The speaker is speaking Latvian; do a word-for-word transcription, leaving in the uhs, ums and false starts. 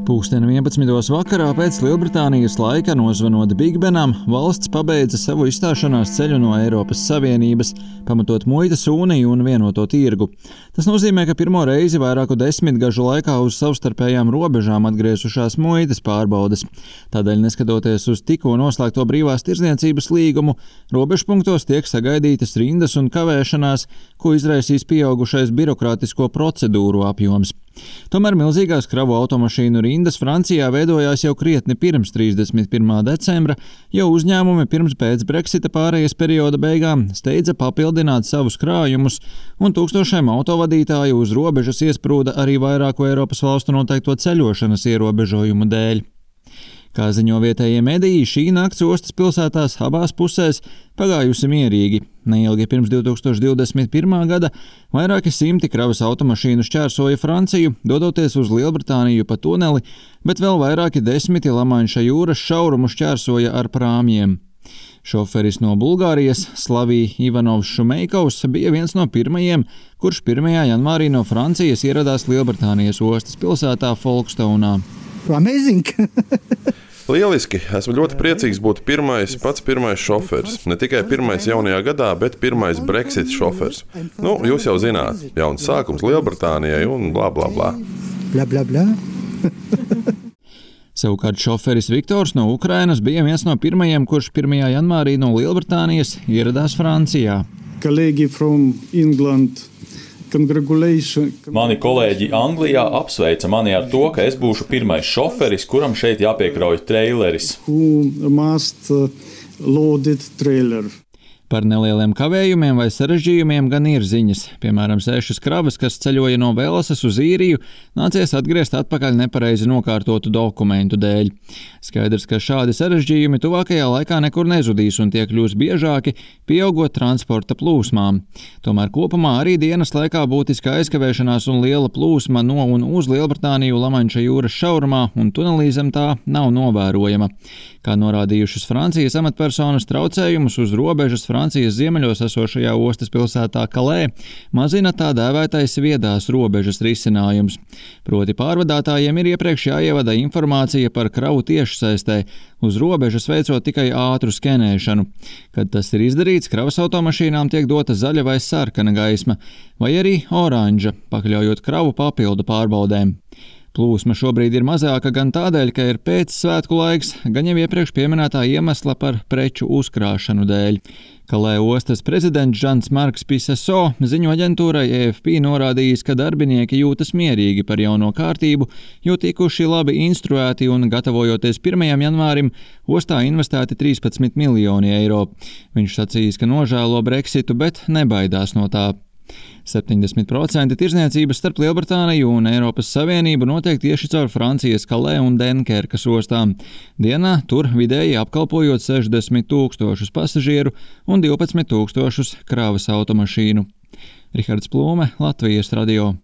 Pūksteni vienpadsmitos vakarā pēc Lielbritānijas laika nozvanot Bigbenam, valsts pabeidza savu izstāšanās ceļu no Eiropas Savienības, pamatot muitas uniju un vienoto tirgu. Tas nozīmē, ka pirmo reizi vairāku desmitgažu laikā uz savstarpējām robežām atgriezušās muitas pārbaudes. Tādēļ, neskatoties uz tikko noslēgto brīvās tirdzniecības līgumu, robežpunktos tiek sagaidītas rindas un kavēšanās, ko izraisīs pieaugušais birokrātisko procedūru apjoms. Tomēr milzīgās kravu automašīnu rindas Francijā veidojās jau krietni pirms trīsdesmit pirmā decembra, jo uzņēmumi pirms pēc Brexita pārejas perioda beigām steidza papildināt savus krājumus, un tūkstošiem autovadītāju uz robežas iesprūda arī vairāku Eiropas valstu noteikto ceļošanas ierobežojumu dēļ. Kā ziņo vietējie mediji, šī nakts ostas pilsētās abās pusēs pagājusi mierīgi. Neilgi pirms divi tūkstoši divdesmit pirmā gada vairāki simti kravas automašīnu šķērsoja Franciju, dodoties uz Lielbritāniju pa tuneli, bet vēl vairāki desmiti Lamanša jūras šaurumu šķērsoja ar prāmjiem. Šoferis no Bulgārijas, Slavij Ivanovs Šumeikovs, bija viens no pirmajiem, kurš pirmajā janvārī no Francijas ieradās Lielbritānijas ostas pilsētā Folkestounā. Amazing! Lieliski! Esmu ļoti priecīgs būt pirmais, pats pirmais šoferis. Ne tikai pirmais jaunajā gadā, bet pirmais Brexit šoferis. Nu, jūs jau zināt, jauns sākums Lielbritānijai un blā, blā, blā. Blā, blā, blā. Savukārt šoferis Viktors no Ukrainas bija viens no pirmajiem, kurš pirmajā janvārī no Lielbritānijas ieradās Francijā. Kolēģi from England. Mani kolēģi Anglijā apsveica mani ar to, ka es būšu pirmais šoferis, kuram šeit jāpiekrauj treileris. Par nelieliem kavējumiem vai sarežģījumiem gan ir ziņas. Piemēram, sešas kravas, kas ceļoja no Velsas uz Īriju, nācies atgriezt atpakaļ nepareizi nokārtotu dokumentu dēļ. Skaidrs, ka šādi sarežģījumi tuvākajā laikā nekur nezudīs un tie kļūs biežāki, pieaugot transporta plūsmām. Tomēr kopumā arī dienas laikā būtiska aizkavēšanās un liela plūsma no un uz Lielbritāniju Lamanša jūras šaurumā un tunelī zem tā nav novērojama. Kā norādījušas Francijas amatpersonas, traucējumus uz robežas Francijas ziemeļos esošajā ostas pilsētā Kalē mazina tā dēvētais viedās robežas risinājums. Proti pārvadātājiem ir iepriekš jāievada informācija par kravu tiešsaistē, uz robežas veicot tikai ātru skenēšanu. Kad tas ir izdarīts, kravas automašīnām tiek dota zaļa vai sarkana gaisma, vai arī oranža, pakļaujot kravu papildu pārbaudēm. Plūsma šobrīd ir mazāka gan tādēļ, ka ir pēcsvētku laiks, gan jau iepriekš pieminētā iemesla par preču uzkrāšanu dēļ. Kalē ostas prezidents Žans Marks Piseso ziņu aģentūrai E F P norādījis, ka darbinieki jūtas mierīgi par jauno kārtību, jo tikuši labi instruēti un gatavojoties pirmajam janvārim, ostā investēti trīspadsmit miljoni eiro. Viņš sacījis, ka nožēlo Brexitu, bet nebaidās no tā. septiņdesmit procenti tirdzniecības starp Lielbritāniju un Eiropas Savienību notiek tieši caur Francijas Kalē un Denkerkas ostām. Dienā tur vidēji apkalpojot sešdesmit tūkstošus pasažieru un divpadsmit tūkstošus kravas automašīnu. Rihards Plūme, Latvijas radio.